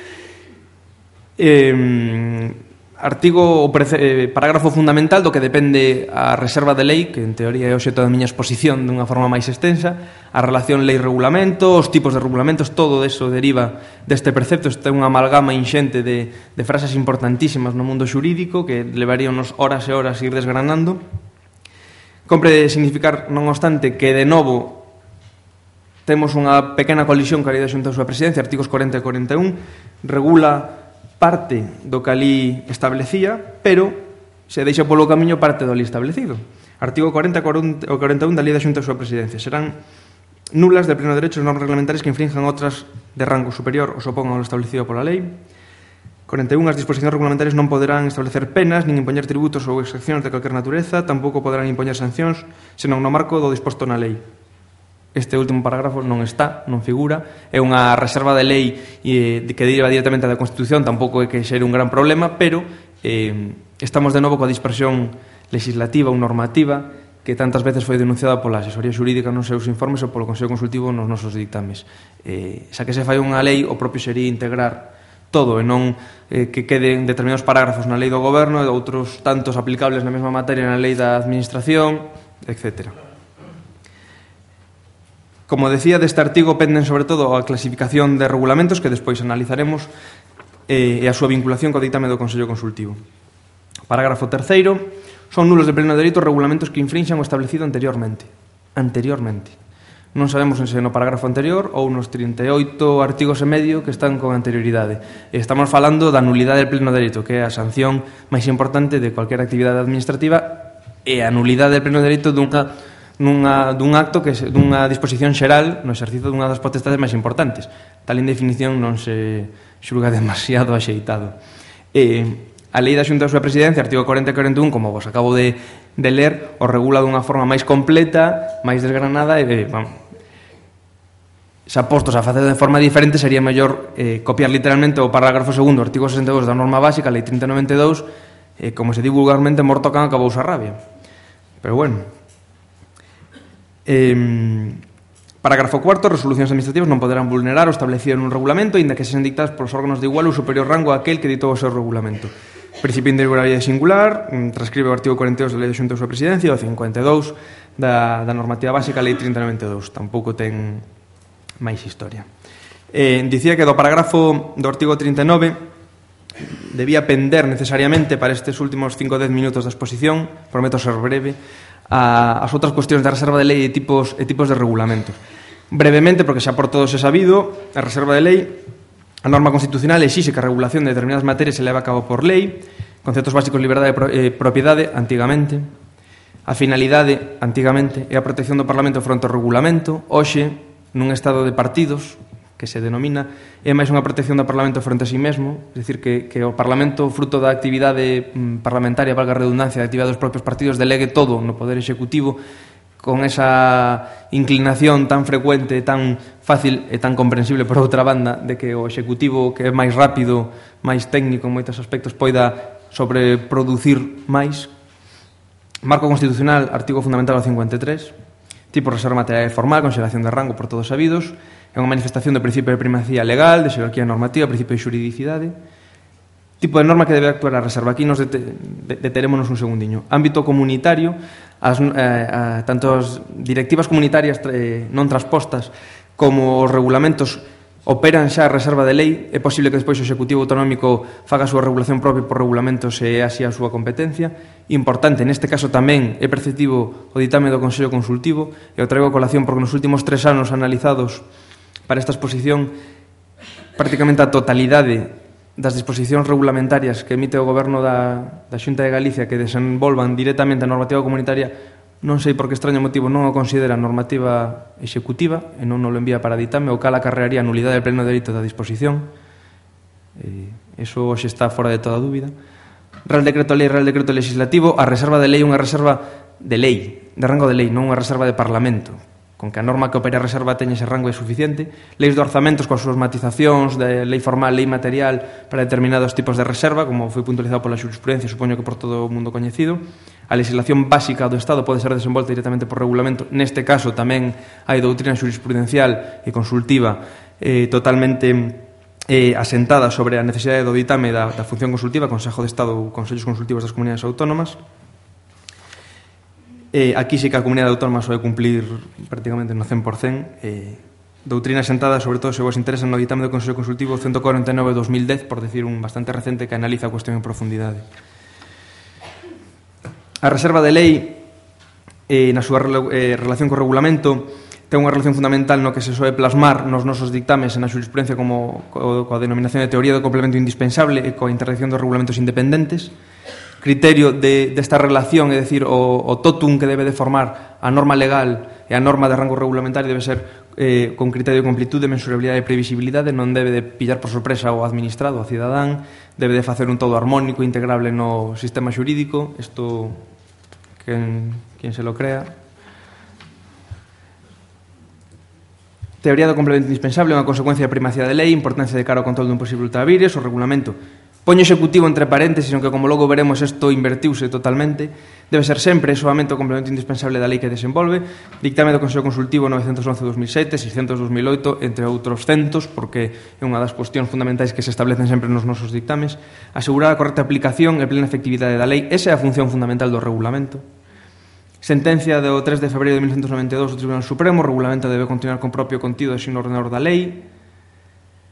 Eh... Artigo, o eh, parágrafo fundamental do que depende a reserva de lei, que en teoría é o xeito da miña exposición dunha forma máis extensa, a relación lei-regulamento, os tipos de regulamentos, todo eso deriva deste precepto. Este é unha amalgama inxente de, de frases importantísimas no mundo xurídico que levaríanos horas e horas ir desgranando. Compre significar, non obstante, que de novo temos unha pequena colisión ca lei da Xunta da súa presidencia. Artigos corenta e corenta e un regula parte do que ali establecía, pero se deixa polo camiño parte do ali establecido. Artigo corenta e corenta e un da Lei da Xunta da súa presidencia. Serán nulas de pleno derecho as normas reglamentarias que infrinjan outras de rango superior ou se opongan ao establecido pola lei. corenta e un. As disposicións regulamentarias non poderán establecer penas, nin impoñer tributos ou excepcións de calquer natureza, tampouco poderán impoñer sancións, senón no marco do disposto na lei. Este último parágrafo non está, non figura, é unha reserva de lei eh, que deriva directamente da Constitución, tampouco é que xere un gran problema, pero eh, estamos de novo coa dispersión legislativa ou normativa que tantas veces foi denunciada pola asesoría xurídica nos seus informes ou polo Consello Consultivo nos nosos dictames. Eh, xa que se fai unha lei, o propio sería integrar todo e non eh, que queden determinados parágrafos na lei do goberno e outros tantos aplicables na mesma materia na lei da administración, etcétera. Como decía, deste artigo penden sobre todo a clasificación de regulamentos que despois analizaremos eh, e a súa vinculación co ditame do Consello Consultivo. Parágrafo terceiro. Son nulos de pleno dereito regulamentos que infrinxan o establecido anteriormente. Anteriormente. Non sabemos se no parágrafo anterior ou nos trinta e oito artigos e medio que están con anterioridade. Estamos falando da nulidade del pleno dereito, que é a sanción máis importante de cualquier actividade administrativa, e a nulidade del pleno dereito dunha, nunha, dun acto, que se, dunha disposición xeral no exercicio dunha das potestades máis importantes. Tal indefinición non se xulga demasiado axeitado. E a Lei da Xunta da súa Presidencia, artigo cuarenta e cuarenta e un, como vos acabo de, de ler, o regula dunha forma máis completa, máis desgranada, e, vamos, xa postos a facer de forma diferente, sería mellor eh, copiar literalmente o parágrafo segundo, artigo sesenta e dous da norma básica, Lei trinta e noventa e dous, eh, como se di vulgarmente, morto can acabouse a rabia. Pero bueno. Eh, parágrafo cuarto, resolucións administrativas non poderán vulnerar o establecido nun regulamento, inda que sexan dictadas polos órganos de igual ou superior rango a aquel que ditou o seu regulamento. Principio de irregularidade singular, transcribe o artigo cuarenta e dous da Lei da Xunta da súa Presidencia, o cincuenta e dous da, da normativa básica, Lei trinta e noventa e dous. Tampouco ten máis historia. Eh, dicía que do parágrafo do artigo trinta e nove debía pender necesariamente para estes últimos cinco a dez minutos da exposición, prometo ser breve, a, as outras cuestións da reserva de lei e tipos, e tipos de regulamentos. Brevemente, porque xa por todos é sabido, a reserva de lei, a norma constitucional exixe que a regulación de determinadas materias se leva a cabo por lei, conceptos básicos de liberdade e propiedade, antigamente, a finalidade, antigamente, e a protección do Parlamento fronte ao regulamento, hoxe, nun estado de partidos, que se denomina, é máis unha protección do Parlamento fronte a sí mesmo, é dicir, que, que o Parlamento, fruto da actividade parlamentaria, valga a redundancia, da actividade dos propios partidos, delegue todo no Poder Executivo, con esa inclinación tan frecuente, tan fácil e tan comprensible, por outra banda, de que o Executivo, que é máis rápido, máis técnico en moitos aspectos, poida sobreproducir máis. Marco constitucional, artigo fundamental cincuenta e tres, tipo reserva material formal, consideración de rango por todos sabidos, é unha manifestación do principio de primacía legal, de xerarquía normativa, principio de xuridicidade. Tipo de norma que debe actuar a reserva. Aquí nos dete, deterémonos un segundiño. Ámbito comunitario, as, eh, a, tanto as directivas comunitarias eh, non transpostas como os regulamentos operan xa a reserva de lei. É posible que despois o Executivo Autonómico faga a súa regulación propia por regulamentos e así a súa competencia. Importante, neste caso tamén é perceptivo o ditame do Consello Consultivo, e o traigo a colación porque nos últimos tres anos analizados para esta exposición, prácticamente a totalidade das disposicións regulamentarias que emite o Goberno da, da Xunta de Galicia que desenvolvan directamente a normativa comunitaria, non sei por que extraño motivo non o considera normativa executiva e non o envía para ditame, o cal acarrearía a nulidade del pleno dereito da disposición. Eh, eso hoxe está fora de toda dúbida. Real Decreto Lei, Real Decreto Legislativo, a reserva de lei é unha reserva de lei, de rango de lei, non unha reserva de Parlamento. Con que a norma que opera a reserva teña ese rango é suficiente. Leis de orzamentos coas súas matizacións de lei formal, lei material para determinados tipos de reserva, como foi puntualizado pola xurisprudencia, supoño que por todo o mundo coñecido. A legislación básica do Estado pode ser desenvolta directamente por regulamento. Neste caso tamén hai doutrina xurisprudencial e consultiva eh, totalmente eh, asentada sobre a necesidade do ditame da, da función consultiva, Consejo de Estado ou Consellos Consultivos das Comunidades Autónomas. Eh, aquí sí que a Comunidade Autónoma soe cumplir prácticamente no cen por cen. Eh, doutrina sentada, sobre todo se vos interesa, no ditame do Consello Consultivo ciento cuarenta e nove barra dos mil dez, por decir un bastante recente que analiza a cuestión en profundidade. A reserva de lei, eh, na súa eh, relación co regulamento, ten unha relación fundamental no que se soe plasmar nos nosos dictames e na xurisprudencia como co, coa denominación de teoría do complemento indispensable e coa interdicción dos regulamentos independentes. Criterio de, desta relación, é dicir, o, o totum que debe de formar a norma legal e a norma de rango regulamentario debe ser eh, con criterio de completude, mensurabilidade e previsibilidade, non debe de pillar por sorpresa ao administrado, ao cidadán, debe de facer un todo armónico, integrable no sistema xurídico. Isto, quen, quen se lo crea. Teoría do complemento indispensable, unha consecuencia de primacía de lei, importancia de cara ao control dun posible ultravires, o regulamento poño executivo entre paréntesis, aunque como logo veremos isto invertiuse totalmente, debe ser sempre solamente o complemento indispensable da lei que desenvolve. Dictame do Consello Consultivo novecentos once barra dos mil sete, seiscentos barra dos mil oito, entre outros centos, porque é unha das cuestións fundamentais que se establecen sempre nos nosos dictames. Asegurar a correcta aplicación e plena efectividade da lei, esa é a función fundamental do regulamento. Sentencia do tres de febreiro de mil novecentos noventa e dous do Tribunal Supremo, o regulamento debe continuar con propio contido e sin ordenador da lei.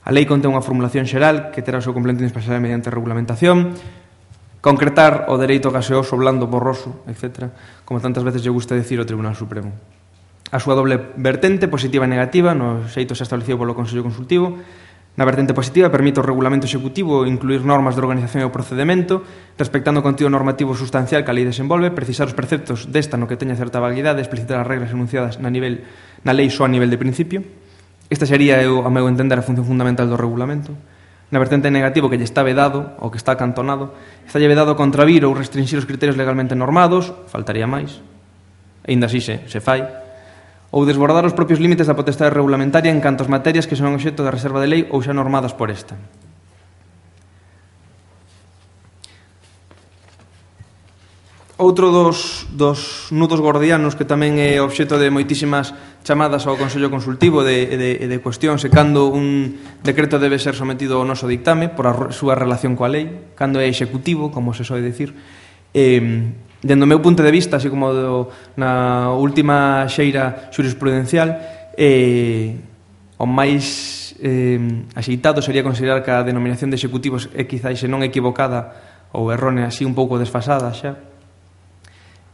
A lei contén unha formulación xeral que terá o seu complemento indispensable mediante regulamentación. Concretar o dereito gaseoso, blando, borroso, etcétera, como tantas veces lle gusta decir ao Tribunal Supremo. a súa doble vertente, positiva e negativa, no xeito xa establecido polo Consello Consultivo. Na vertente positiva permite o regulamento executivo incluir normas de organización e o procedimento, respectando o contido normativo sustancial que a lei desenvolve, precisar os preceptos desta no que teña certa validade, explicitar as regras enunciadas na, nivel, na lei só a nivel de principio. Esta sería, eu, a meu entender, a función fundamental do regulamento. Na vertente negativo, que lle está vedado, ou que está acantonado, está lle vedado contravir ou restringir os criterios legalmente normados, faltaría máis, aínda así se, se fai, ou desbordar os propios límites da potestade regulamentaria en canto as materias que son obxecto de reserva de lei ou xa normadas por esta. Outro dos, dos nudos gordianos que tamén é obxecto de moitísimas chamadas ao Consello Consultivo de, de, de cuestións e cando un decreto debe ser sometido ao noso dictame por a súa relación coa lei, cando é executivo, como se soe dicir. Eh, Dendo o meu punto de vista, así como do, na última xeira xurisprudencial, eh, o máis eh, axeitado sería considerar que a denominación de executivos é quizáis se non equivocada ou errónea, así un pouco desfasada xa.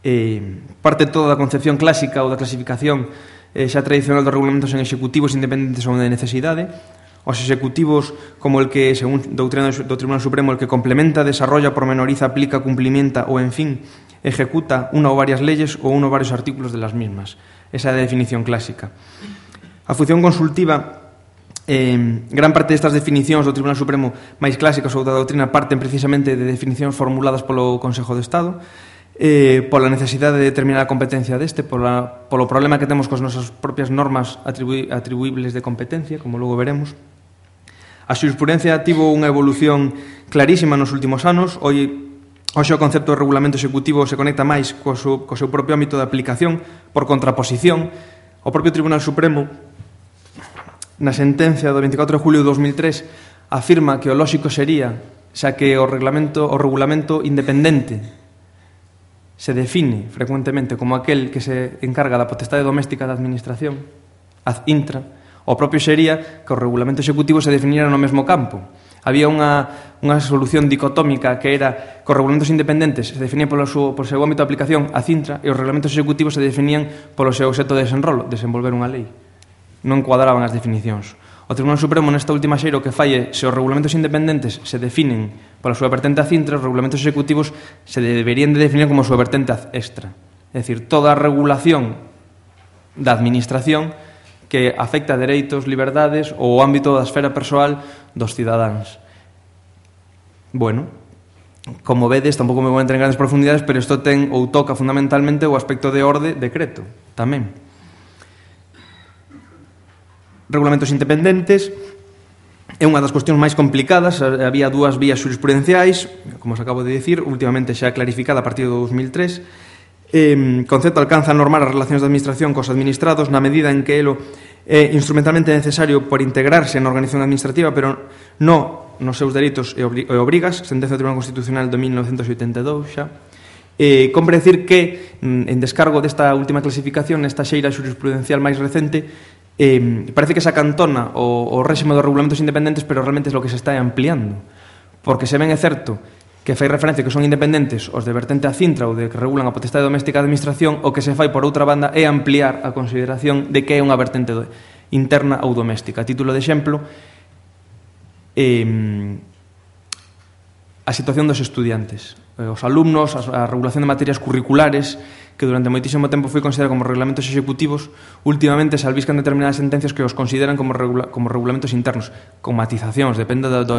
Eh, parte toda da concepción clásica ou da clasificación eh, xa tradicional dos regulamentos en executivos independentes ou de necesidade. Os executivos, como el que, según doutrina do Tribunal Supremo, el que complementa, desarrolla, pormenoriza, aplica, cumplimenta ou, en fin, ejecuta unha ou varias leyes ou uno ou varios artículos de las mismas. Esa é a definición clásica. A función consultiva, eh, gran parte destas definicións do Tribunal Supremo máis clásicas ou da doutrina parten precisamente de definicións formuladas polo Consejo de Estado, eh, pola necesidade de determinar a competencia deste, pola, polo problema que temos cos nosas propias normas atribu atribuibles de competencia, como logo veremos. A xurisprudencia tivo unha evolución clarísima nos últimos anos. Hoxe, hoxe o concepto de regulamento executivo se conecta máis co seu, co seu propio ámbito de aplicación por contraposición. O propio Tribunal Supremo, na sentencia do veinticuatro de julio de dos mil tres, afirma que o lóxico sería, xa que o regulamento, o regulamento independente se define frecuentemente como aquel que se encarga da potestade doméstica da administración, ad intra, o propio sería que o regulamento executivo se definiera no mesmo campo. Había unha, unha solución dicotómica que era que os regulamentos independentes se definían polo seu, polo seu ámbito de aplicación ad intra e os regulamentos executivos se definían polo seu obxecto de desenrolo, desenvolver unha lei. Non encuadraban as definicións. O Tribunal Supremo nesta última xeira o que falle, se os regulamentos independentes se definen pola súa vertente ad intra, os regulamentos executivos se deberían de definir como a súa vertente ad extra. É dicir, toda a regulación da administración que afecta a dereitos, liberdades ou o ámbito da esfera persoal dos cidadáns. Bueno, como vedes, tampouco me vou entrar en grandes profundidades, pero isto ten ou toca fundamentalmente o aspecto de orde decreto, tamén. Regulamentos independentes é unha das cuestións máis complicadas. Había dúas vías xurisprudenciais, como os acabo de dicir, últimamente xa clarificada a partir do dos mil tres. Eh, concepto alcanza a normar as relacións de administración cos administrados na medida en que elo é instrumentalmente necesario por integrarse na organización administrativa, pero non nos seus dereitos e obrigas, sentencia do Tribunal Constitucional de mil novecentos oitenta e dous xa. Eh, compre decir que, en descargo desta última clasificación, nesta xeira xurisprudencial máis recente, eh, parece que se acantona o, o réxime dos regulamentos independentes, pero realmente é o que se está ampliando, porque se ben é certo que fai referencia que son independentes os de vertente ad intra ou de que regulan a potestade doméstica da administración, o que se fai por outra banda é ampliar a consideración de que é unha vertente interna ou doméstica. A título de exemplo, eh, a situación dos estudiantes, os alumnos, a regulación de materias curriculares, que durante moitísimo tempo foi considerada como regulamentos executivos, últimamente se albiscan determinadas sentencias que os consideran como, regula como regulamentos internos, con matizacións, depende do, do,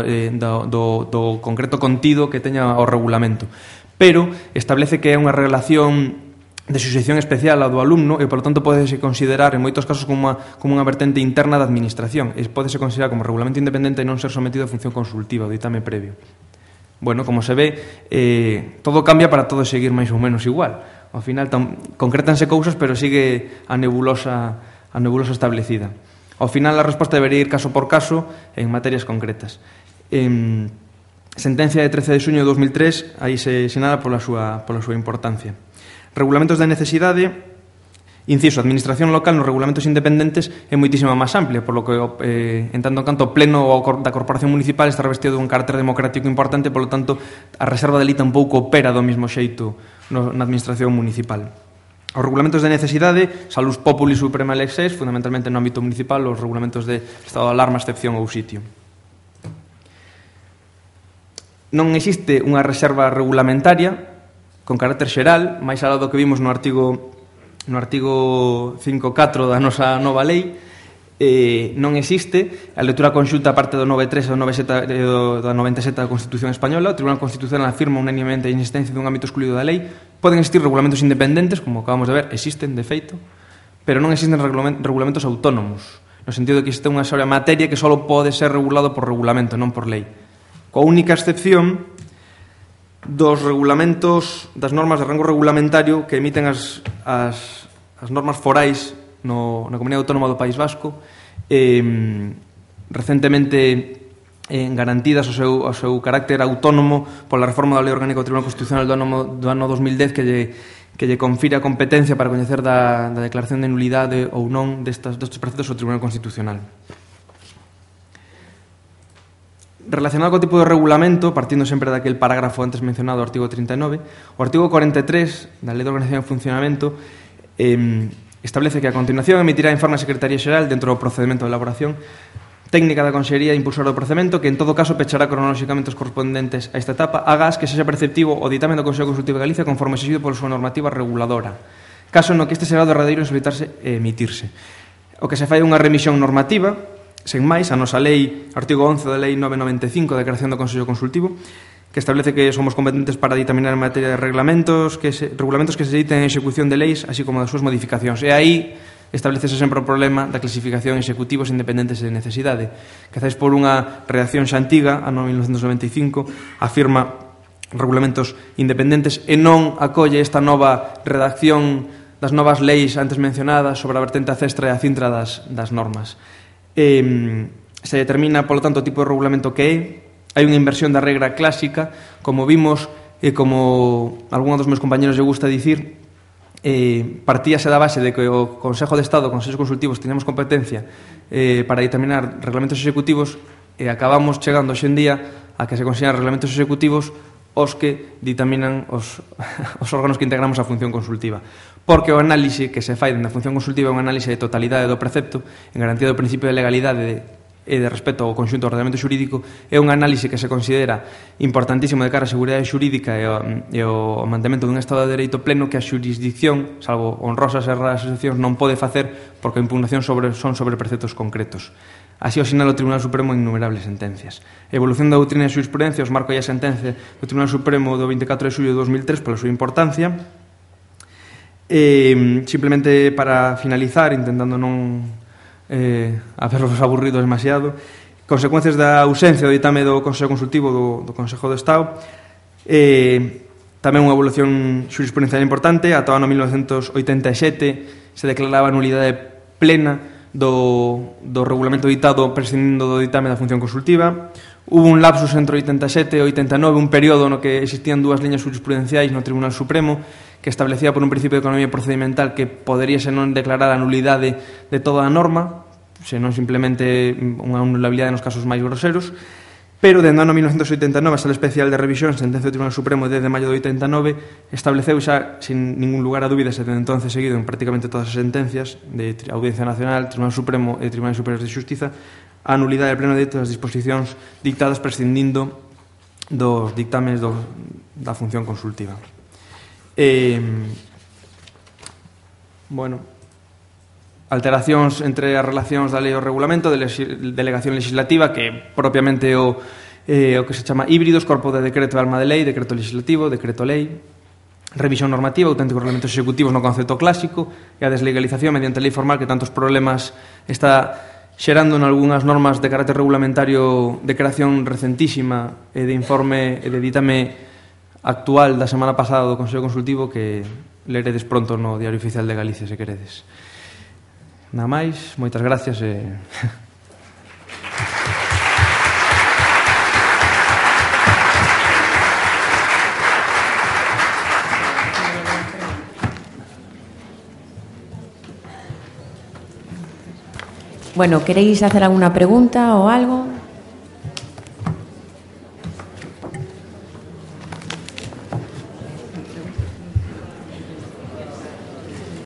do, do concreto contido que teña o regulamento. Pero establece que é unha relación de suxeición especial ao do alumno e, polo tanto, podese considerar en moitos casos como unha, como unha vertente interna da administración e podese considerar como regulamento independente e non ser sometido a función consultiva, o ditame previo. Bueno, como se ve, eh, todo cambia para todo seguir máis ou menos igual. Ao final, tam, concrétanse cousas, pero sigue a nebulosa, a nebulosa establecida. Ao final, a resposta debería ir caso por caso en materias concretas. En sentencia de trece de xuño de dos mil tres, aí se sinala pola súa, pola súa importancia. Regulamentos de necesidade, inciso, administración local nos regulamentos independentes é moitísima máis amplia, por lo que, eh, en tanto en canto, o pleno da corporación municipal está revestido dun carácter democrático importante, polo tanto, a reserva de lei tampouco opera do mesmo xeito no, na administración municipal. Os regulamentos de necesidade, salus populi suprema lex seis, fundamentalmente no ámbito municipal, os regulamentos de estado de alarma, excepción ou sitio. Non existe unha reserva regulamentaria con carácter xeral, máis alá do que vimos no artigo no artigo cinco punto catro da nosa nova lei, eh, non existe a lectura conxunta parte do nove punto tres e do nove punto sete do, do noventa e sete da Constitución Española. O Tribunal Constitucional afirma unánimemente a inexistencia dun ámbito excluído da lei. Poden existir regulamentos independentes, como acabamos de ver, existen de feito, pero non existen regulamentos autónomos, no sentido de que existe unha sola materia que só pode ser regulado por regulamento, non por lei, coa única excepción dos regulamentos, das normas de rango regulamentario que emiten as, as, as normas forais no, na Comunidade Autónoma do País Vasco, eh, recentemente eh, garantidas o seu, o seu carácter autónomo pola reforma da Lei Orgánica do Tribunal Constitucional do ano, do ano dos mil dez, que lle, que lle confire a competencia para coñecer da, da declaración de nulidade ou non destas, destes preceptos ao Tribunal Constitucional. Relacionado co tipo de regulamento, partindo sempre daquele parágrafo antes mencionado, o artigo trinta e nove, o artigo cuarenta e tres da Lei de Organización e Funcionamento eh, establece que a continuación emitirá informe a Secretaría Xeral dentro do procedimento de elaboración técnica da Consellería impulsora do procedimento, que en todo caso pechará cronolóxicamente os correspondentes a esta etapa, agás que sexa perceptivo o ditame do Consello Consultivo de Galicia conforme exigido pola súa normativa reguladora, caso no que este será o derradeiro en solicitarse e emitirse. O que se fai é unha remisión normativa, sen máis, a nosa lei, artigo once da Lei novecentos noventa e cinco de creación do Consello Consultivo, que establece que somos competentes para ditaminar en materia de reglamentos que se, regulamentos que se editen en execución de leis, así como das súas modificacións. E aí establecese sempre o problema da clasificación executivos independentes de necesidade, que quizás por unha redacción xa antiga, ano mil novecentos noventa e cinco, afirma regulamentos independentes e non acolle esta nova redacción das novas leis antes mencionadas sobre a vertente acestra e a cintra das, das normas. Eh, se determina, polo tanto, o tipo de regulamento que é. Hai unha inversión da regra clásica, como vimos e como algún dos meus compañeros lle gusta dicir, eh, partíase da base de que o Consejo de Estado, Consellos Consultivos, teníamos competencia eh, para determinar reglamentos executivos, e acabamos chegando hoxe en día a que se consideran reglamentos executivos os que ditaminan os, os órganos que integramos a función consultiva. Porque o análise que se fai dentro da función consultiva é un análise de totalidade do precepto, en garantía do principio de legalidade de, e de respeto ao conxunto do ordenamento xurídico, é un análise que se considera importantísimo de cara á seguridade xurídica e ao, e ao mantemento dun Estado de Dereito pleno, que a xurisdicción, salvo honrosas e raras excepcións, non pode facer porque a impugnación sobre, son sobre preceptos concretos. Así o sinala o Tribunal Supremo en innumerables sentencias. A evolución da doutrina e xurisprudencia os marca a sentencia do Tribunal Supremo do veinticuatro de xullo de dos mil tres pola súa importancia. E, simplemente para finalizar, intentando non eh, hacerlos aburridos demasiado, consecuencias da ausencia do ditame do Consello Consultivo do, do Consejo de Estado, eh, tamén unha evolución xurisprudencial importante. Ata o ano mil novecentos oitenta e sete se declaraba a nulidade plena do, do regulamento ditado prescindindo do ditame da función consultiva. Hubo un lapsus entre oitenta e sete e oitenta e nove, un período no que existían dúas liñas jurisprudenciais no Tribunal Supremo que establecía por un principio de economía procedimental que podería se non declarar a nulidade de toda a norma, senón simplemente unha nulabilidade nos casos máis groseros. Pero, dende o ano mil novecentos oitenta e nove, a Sala Especial de Revisión, sentencia do Tribunal Supremo de dez de maio de oitenta e nove, estableceu xa, sin ningún lugar a dúbidas, e dende entonces seguido en prácticamente todas as sentencias de Audiencia Nacional, Tribunal Supremo e Tribunais Superiores de Xustiza, a nulidade de pleno dereito das disposicións dictadas prescindindo dos dictames do, da función consultiva. Eh, bueno... alteracións entre as relacións da lei e o regulamento, de delegación legislativa, que propiamente o, eh, o que se chama híbridos, corpo de decreto e alma de lei, decreto legislativo, decreto lei, revisión normativa, auténticos reglamentos executivos no concepto clásico, e a deslegalización mediante lei formal que tantos problemas está xerando en algunhas normas de carácter regulamentario de creación recentísima e de informe e de ditame actual da semana pasada do Consello Consultivo, que leredes pronto no Diario Oficial de Galicia, se queredes. Nada máis, moitas gracias e... Bueno, ¿queréis hacer alguna pregunta o algo?